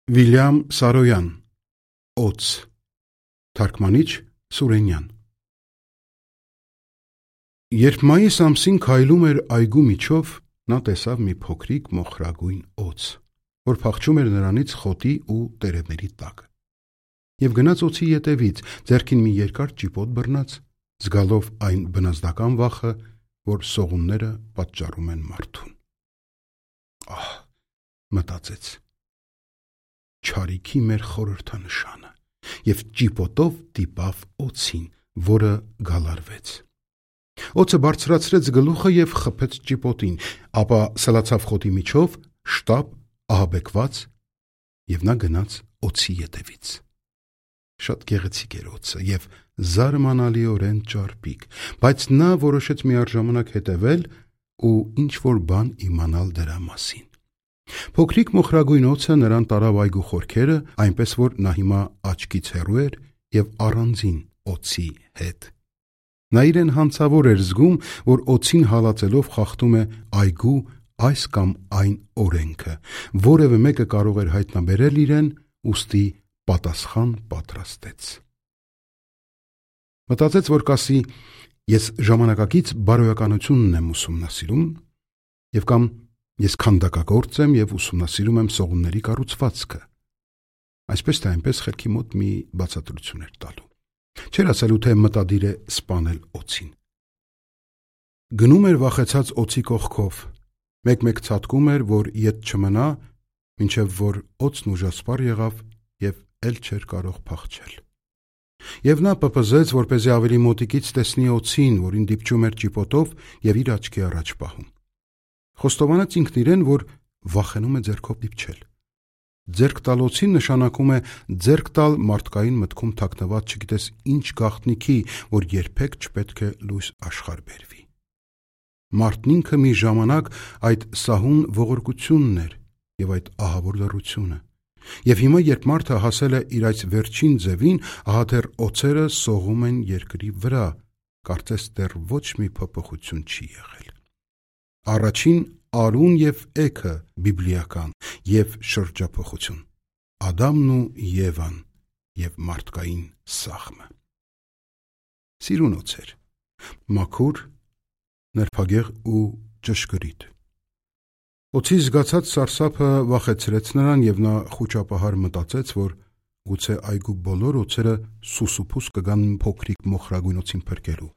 Վիլյամ Սարոյան Օձ Թարգմանիչ Սուրենյան Երբ մայիս ամսին քայլում էր այգու միջով, նա տեսավ մի փոքրիկ մոխրագույն օձ, որ փախչում էր նրանից խոտի ու տերևների տակ, և գնաց օձի ետևից, ձեռքին մի երկար ճիպոտ բռնած, զգալով այն բնազդական վախը, որ սողունները պատճառում են մարդուն։ Ահ, մտածեց, չարիքի մեր խորհրդանշանը, և ճիպոտով դիպավ օձին, որը գալարվեց։ Օձը բարձրացրեց գլուխը և խփեց ճիպոտին, ապա սլացավ խոտի միջով, շտապ ահաբեկված, և նա գնաց օձի ետևից։ Շատ գեղեցիկ էր օձը և զարմանալիորեն ճարպիկ, բայց նա որոշեց միառժամանակ հետևել ու ինչ-որ բան իմանալ դրա մասին։ Փոքրիկ մոխրագույն օձը նրան տարավ այգու խորքերը, այնպես որ նա հիմա աչքից հեռու էր և առանձին օձի հետ։ Նա իրեն հանցավոր էր զգում, որ օձին հալածելով խախտում է այգու այս կամ այն օրենքը, որևէ մեկը կարող էր հայտնաբերել իրեն, ուստի պատասխան պատրաստեց։ Մտածեց, որ կասի, ես ժամանակակից բարոյականությունն եմ ուսումնասիրում, և կամ ես քանդակագործ եմ և ուսումնասիրում եմ սողունների կառուցվածքը։ Այսպես թե այնպես խելքի մոտ մի բացատրություն էր տալու։ Չէր ասելու, թե մտադիր է սպանել օձին։ Գնում էր վախեցած օձի կողքով, մեկ-մեկ ցատկում էր, որ ետ չմնա, մինչև որ օձն ուժասպառ եղավ և էլ չէր կարող փախչել։ Եվ նա պպզեց, որպեսզի ավելի մոտիկից տեսնի օձին, որին դիպչում էր ճիպոտով և իր աչքի առաջ պահում։ Խոստովանեց ինքն իրեն, որ վախենում է ձեռքով դիպչել։ Ձեռք տալ օձին նշանակում է ձեռք տալ մարդկային մտքում թաքնված չգիտես ինչ գաղտնիքի, որ երբեք չպետք է լույս աշխարհ բերվի։ Մարդն ինքը մի ժամանակ այդ սահուն ողորկությունն էր և այդ ահավոր լռությունը։ Եվ հիմա, երբ մարդը հասել է իր այս վերջին ձևին, ահա դեռ օձերը սողում են երկրի վրա, կարծես դեռ ոչ մի փոփոխություն չի եղել։ Առաջին արուն և էգը բիբլիական և շրջափոխություն, Ադամն ու Եվան և մարդկային սաղմը։ Սիրուն օձ էր, մաքուր, նրբագեղ ու ճշգրիտ։ Օձի զգացած սարսափը վախեցրեց նրան և նա խուճապահար մտածեց, որ գուցե այգու բոլոր օձերը սուսուփուս կգան փոքրիկ մոխրագույն օձին փրկելու,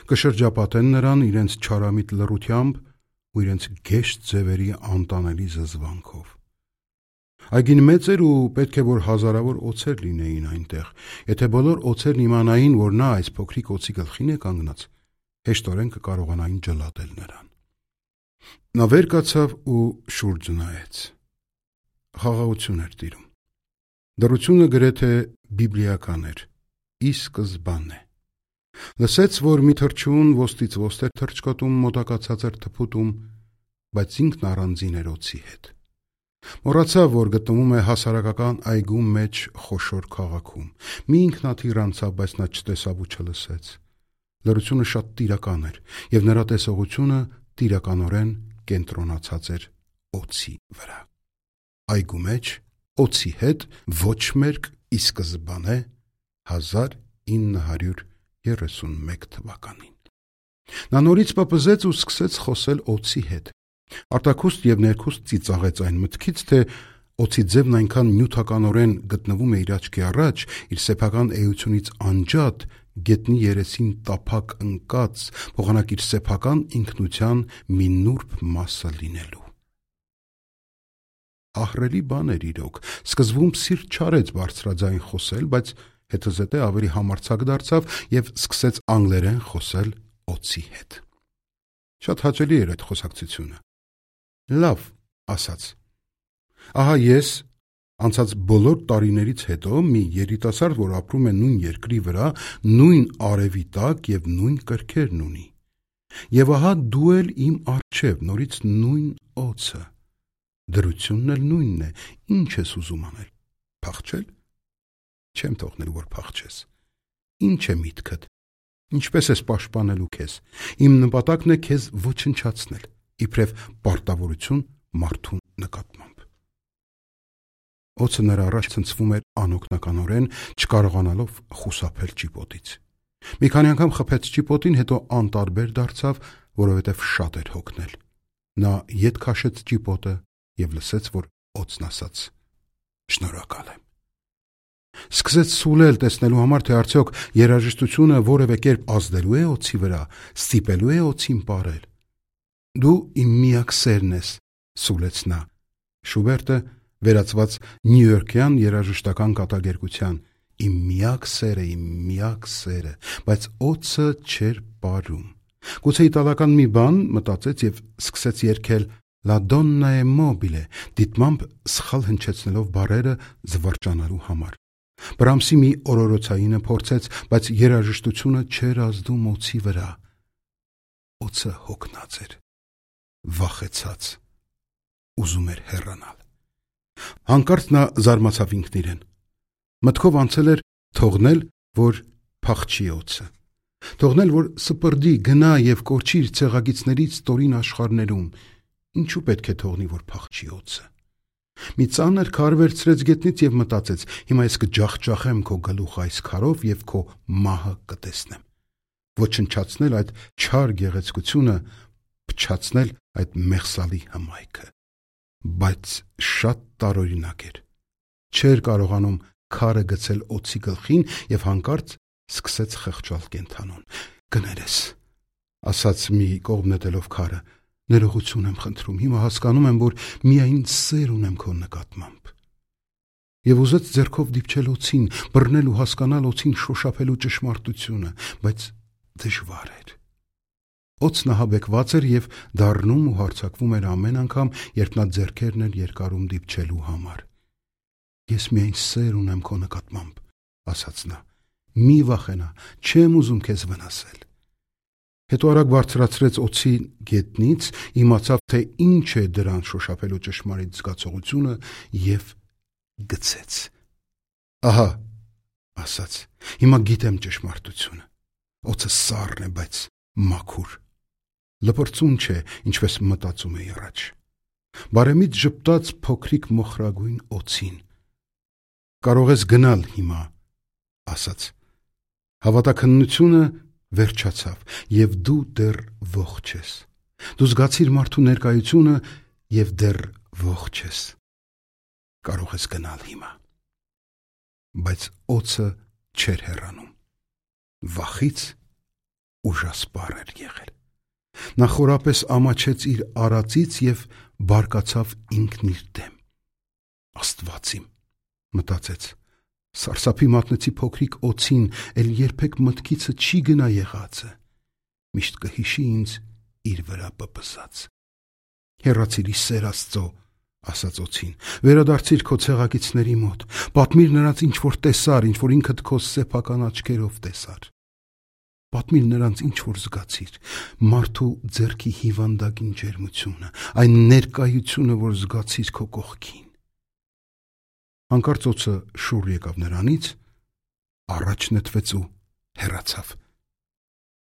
կշրջապատեն նրան իրենց չարամիտ լռությամբ ու իրենց գեշ ձևերի անտանելի զզվանքով։ Այգին մեծ էր ու պետք է որ հազարավոր օձեր լինեին այնտեղ։ Եթե բոլոր օձերն իմանային, որ նա այս փոքրիկ օձի գլխին է կանգնած, հեշտորեն կկարողանային ջլատել նրան։ Նա վեր կացավ ու շուրջը նայեց։ Խաղաղություն էր տիրում։ Դռությունը գրեթե բիբլիական էր, ի սկզբանե։ Լսեց, որ մի թռչուն ոստից ոստ էր թռչկոտում մոտակա ցածր թփուտում, բայց ինքն առանձին էր օձի հետ։ Մոռացավ, որ գտնվում է հասարակական այգու մեջ խոշոր քաղաքում։ Մի ինքնաթիռ անցավ, բայց նա չտեսավ ու չլսեց։ Լռությունը շատ տիրական էր, և նրա տեսողությունը տիրականորեն կենտրոնացած էր օձի վրա։ Այգու մեջ, օձի հետ, ոչ մերկ, ի սկզբանե 1931 թվականին։ Նա նորից պպզեց ու սկսեց խոսել օձի հետ։ Արտաքուստ և ներքուստ ծիծաղեց այն մտքից, թե օձի ձևն այնքան նյութականորեն գտնվում է իր աչքի առաջ, իր սեփական էությունից անջատ, գետնի երեսին տափակ ընկած, փոխանակ իր սեփական ինքնության մի նուրբ մասը լինելու։ Ահռելի բան էր իրոք, սկզբում սիրտ չարեց բարձրաձայն խոսել, բայց հետզհետե ավելի համարձակ դարձավ և սկսեց անգլերեն խոսել օձի հետ։ Շատ հաճելի էր այդ խոսակցությունը։ Լավ, ասաց, ահա ես, անցած բոլոր տարիներից հետո մի երիտասարդ, որ ապրում է նույն երկրի վրա, նույն արևի տակ և նույն կրքերն ունի։ Եվ ահա դու էլ իմ առջև, նորից նույն օձը։ Դրությունն էլ նույնն է, ինչ ես ուզում անել, փախչել։ Չեմ թողնելու, որ փախչես։ Ինչ է միտքդ, ինչպես ես պաշտպանելու քեզ։ Իմ նպատակն է քեզ ոչնչացնել, իբրև պարտավորություն մարդու նկատմամբ։ Օձը նրա առաջ ցնցվում էր անօգնականորեն, չկարողանալով խուսափել ճիպոտից։ Մի քանի անգամ խփեց ճիպոտին, հետո անտարբեր դարձավ, որովհետև շատ էր հոգնել։ Նա ետ քաշեց ճիպոտը և լսեց, որ օձն ասաց. «Շնորհակալ եմ»։ Սկսեց սուլել, տեսնելու համար, թե արդյոք երաժշտությունը որևէ կերպ ազդելու է օձի վրա, ստիպելու է օձին պարել։ «Դու իմ միակ սերն ես», սուլեց նա։ Շուբերտը վերածված նյույորքյան երաժշտական կատակերգության «Իմ միակ սերը», բայց օձը չէր պարում։ Գուցե իտալական մի բան, մտածեց և սկսեց երգել «La donna è mobile», դիտմամբ սխալ հնչեցնելով բառերը զվարճանալու համար։ Բրամսի մի օրորոցայինը փորձեց, բայց երաժշտությունը չէր ազդում օձի վրա։ Օձը հոգնած էր, վախեցած, ուզում էր հեռանալ։ Հանկարծ նա զարմացավ ինքն իրեն։ Մտքով անցել էր թողնել, որ փախչի օձը, թողնել, որ սպրդի, գնա և կորչի իր ցեղագիծներից ստորին աշխարհներում։ Ինչու պետք է թողնի, որ փախչի օձը։ Մի ծանր քար վերցրեց գետնից և մտածեց. հիմա ես կջախջախեմ քո գլուխը այս քարով և քո մահը կտեսնեմ։ Ոչնչացնել այդ չար գեղեցկությունը, փչացնել այդ մեղսալի հմայքը։ Բայց շատ տարօրինակ էր։ Չէր կարողանում քարը գցել օձի գլխին և հանկարծ սկսեց խղճալ կենդանուն։ «Կներես», ասաց մի կողմ նետելով քարը, «ներողություն եմ խնդրում, հիմա հասկանում եմ, որ միայն սեր ունեմ քո նկատմամբ»։ Եվ ուզեց ձեռքով դիպչել օձին, բռնել ու հասկանալ օձին շոշափելու ճշմարտությունը, բայց դժվար էր։ Օձն ահաբեկված էր և դառնում ու հարձակվում էր ամեն անգամ, երբ նա ձեռքերն էր երկարում դիպչելու համար։ «Ես միայն սեր ունեմ քո նկատմամբ», ասաց նա, «մի վախենա, չեմ ուզում քեզ վնասել»։ Հետո արագ բարձրացրեց օձի գետնից, իմացավ, թե ինչ է դրան շոշափելու ճշմարիտ զգացողությունը և գցեց։ «Ահա», ասաց, «հիմա գիտեմ ճշմարտությունը։ Օձը սառն է, բայց մաքուր։ Լպրծուն չէ, ինչպես մտածում էի առաջ»։ Բարեմիտ ժպտաց փոքրիկ մոխրագույն օձին։ «Կարող ես գնալ հիմա», ասաց։ Հավատաքննությունը վերջացավ, և դու դեռ ողջ ես։ Դու զգացիր մարդու ներկայությունը և դեռ ողջ ես։ Կարող ես գնալ հիմա։ Բայց օձը չէր հեռանում։ Վախից ուժասպառ էր եղել։ Նա խորապես ամաչեց իր արածից և բարկացավ ինքն իր դեմ։ «Աստված իմ», մտածեց, «սարսափի մատնեցի փոքրիկ օձին, էլ երբեք մտքիցը չի գնա եղածը։ Միշտ կհիշի ինձ իր վրա պպզած»։ «Հեռացիր ի սեր Աստծո», ասաց օձին, «վերադարձիր քո ցեղակիցների մոտ, պատմիր նրանց ինչ որ տեսար, ինչ որ ինքդ քո սեփական աչքերով տեսար։ Պատմիր նրանց ինչ որ զգացիր, մարդու ձեռքի հիվանդագին ջերմությունը, այն ներկայությունը, որ զգացիր քո կողքին»։ Հանկարծ օձը շուռ եկավ նրանից, առաջ նետվեց ու հեռացավ։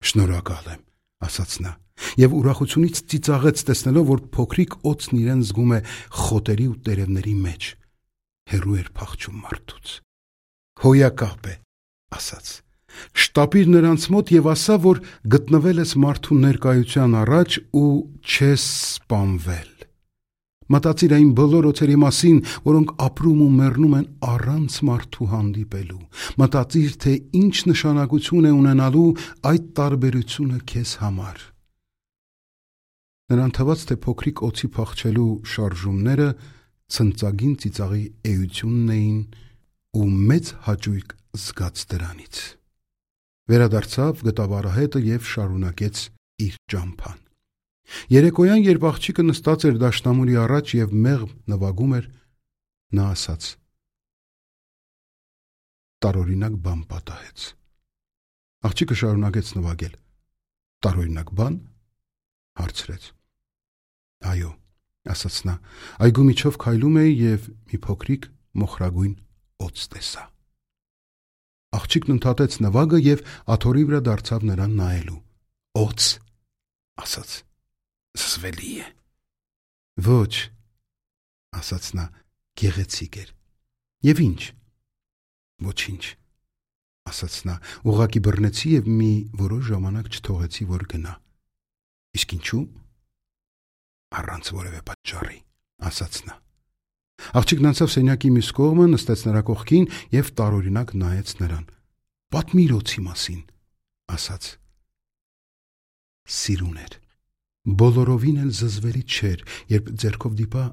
«Շնորհակալ եմ», ասաց նա, և ուրախությունից ծիծաղեց, տեսնելով, որ փոքրիկ օձն իրեն զգում է խոտերի ու տերևների մեջ, հեռու էր փախչում մարդուց։ «Հոյակապ է», ասաց, «շտապիր նրանց մոտ և ասա, որ գտնվել ես մարդու ներկայության առաջ ու չես սպանվել։ Մտածիր այն բոլոր օձերի մասին, որոնք ապրում ու մեռնում են առանց մարդու հանդիպելու։ Մտածիր, թե ինչ նշանակություն է ունենալու այդ տարբերությունը քեզ համար»։ Նրան թվաց, թե փոքրիկ օձի փախչելու շարժումները ցնծագին ծիծաղի էությունն էին ու մեծ հաճույք զգաց դրանից։ Վերադարձավ, գտավ արահետը և շարունակեց իր ճամփան։ Երեկոյան, երբ աղջիկը նստած էր դաշնամուրի առաջ և մեղմ նվագում էր, նա ասաց. «Տարօրինակ բան պատահեց»։ Աղջիկը շարունակեց նվագել։ «Տարօրինակ բան»։ Հարցրեց։ «Այո», ասաց նա, «այգու միջով քայլում էի և մի փոքրիկ մոխրագույն օձ տեսա»։ Աղջիկն ընդհատեց նվագը և աթոռի վրա դարձավ նրան նայելու։ «Օձ», ասաց, «զզվելի է»։ «Ոչ», ասաց նա, «գեղեցիկ էր»։ Եվ ինչ։ Ոչինչ, ասաց նա, ուղղակի բռնեցի եւ մի որոշ ժամանակ չթողեցի, որ գնա։ Իսկ ինչու։ Առանց որևէ պատճառի, ասաց նա։ Աղջիկն անցավ սենյակի մյուս կողմը, նստեց նրա կողքին եւ տարօրինակ նայեց նրան։ Պատմիր օձի մասին, ասաց։ Սիրուն էր։ Բոլորովին էլ զզվելի չէր, երբ ձեռքով դիպա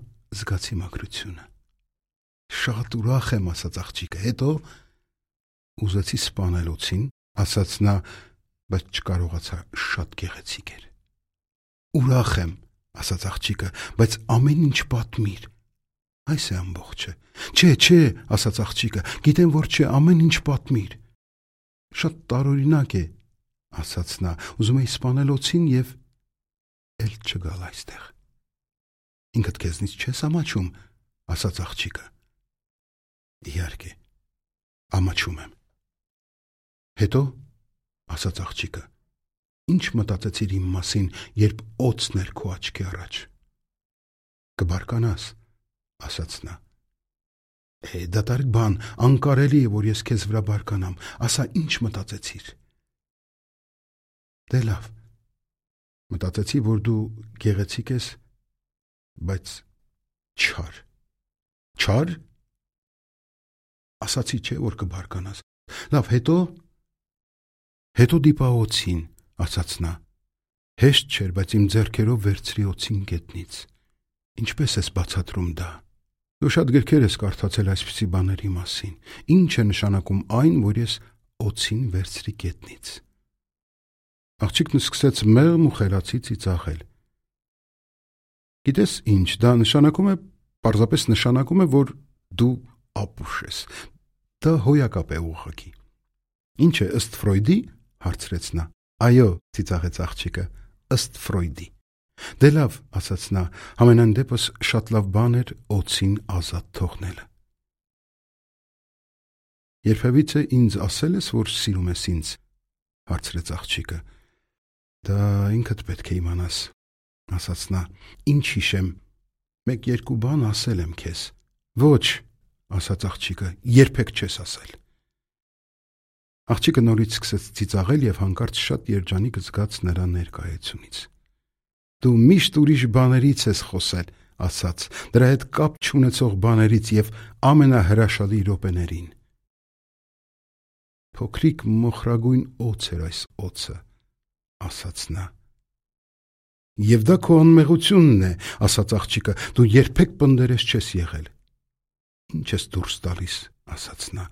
զգացի մաքրությունը։ Շատ ուրախ եմ, ասաց աղջիկը, հետո ուզեցի սպանել օձին, ասաց նա, բայց չկարողացա, շատ գեղեցիկ էր։ Ուրախ եմ, ասաց աղջիկը, բայց ամեն ինչ պատմիր։ Այս է ամբողջը։ Չէ, ասաց աղջիկը, գիտեմ, որ չէ, ամեն ինչ պատմիր։ Շատ տարօրինակ է, ասաց նա, ուզում էի սպանել օձին եւ էլ չգալ այստեղ։ Ինքդ քեզնից չես ամաչում, ասաց աղջիկը։ Իհարկե, ամաչում եմ։ Հետո, ասաց աղջիկը, ինչ մտածեցիր իմ մասին, երբ օձն էր քո աչքի առաջ։ Կբարկանաս, ասաց նա։ Դատարկ բան, անկարելի է, որ ես քեզ վրա բարկանամ, ասա ինչ մտածեցիր։ Դե լավ, մտածեցի, որ դու գեղեցիկ ես, բայց չար։ Չար։ Ասացի չէ, որ կբարկանաս։ Լավ, հետո դիպա օձին, ասաց նա։ Հեշտ չէր, բայց իմ ձեռքերով վերցրի օձին գետնից։ Ինչպես ես բացատրում դա։ Դու շատ գրքեր ես կարդացել այսպիսի բաների մասին։ Ինչ է նշանակում այն, որ ես օձին վերցրի գետնից։ Աղջիկն սկսեց մեղմ ու խելացի ծիծաղել։ Գիտես ինչ, դա պարզապես նշանակում է, որ դու ապուշ ես։ Դա հոյակապ է ուղղակի։ Ինչ է, ըստ Ֆրոյդի, հարցրեց նա։ Այո, ծիծաղեց աղջիկը, ըստ Ֆրոյդի։ Դե լավ, ասաց նա, համենայն դեպս շատ լավ բան էր օձին ազատ թողնելը։ Երբևիցե ինձ ասել ես, որ սիրում ես ինձ, հարցրեց աղջիկը։ Դա ինքդ պետք է իմանաս, ասաց նա, ինչ հիշեմ, մեկ-երկու բան ասել եմ քեզ։ Ոչ, ասաց աղջիկը, երբեք չես ասել։ Աղջիկը նորից սկսեց ծիծաղել եւ հանկարծ շատ երջանիկ զգաց նրա ներկայությունից։ Դու միշտ ուրիշ բաներից ես խոսել, ասաց, դրա հետ կապ չունեցող բաներից եւ ամենահրաշալի րոպեներին։ Փոքրիկ մոխրագույն օձ էր այս օձը, ասաց նա։ Եվ դա քո անմեղությունն է, ասաց աղջիկը, դու երբեք պնդերես չես եղել։ Ինչ ես դուրս տալիս, ասաց նա։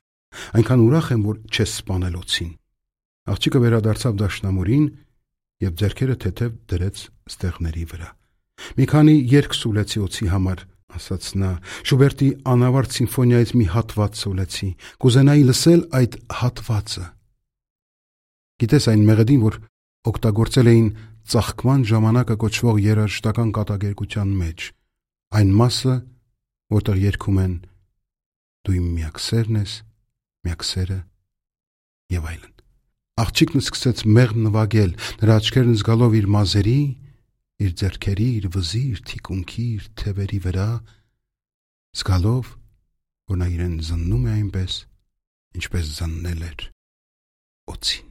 Այնքան ուրախ եմ, որ չես սպանել օձին։ Աղջիկը վերադարձավ դաշնամուրին եւ ձեռքերը թեթև դրեց ստեղների վրա։ Մի քանի երգ սուլեցի օձի համար, ասաց նա, Շուբերտի անավարտ սիմֆոնիայից մի հատված սուլեցի, կուզենայի լսել այդ հատվածը։ Գիտես այն մեղեդին, որ օգտագործել էին ծաղկման ժամանակը կոչվող երաժշտական կատակերգության մեջ, այն մասը, որտեղ երգում են դու իմ միակ սերն ես, միակ սերը եւ այլն։ Աղջիկն սկսեց մեղմ նվագել, նրա աչքերն զգալով իր մազերի, իր ձեռքերի, իր վզի, իր թիկունքի, իր թևերի վրա, զգալով, որ նա իրեն զննում է այնպես, ինչպես զննել էր օձին։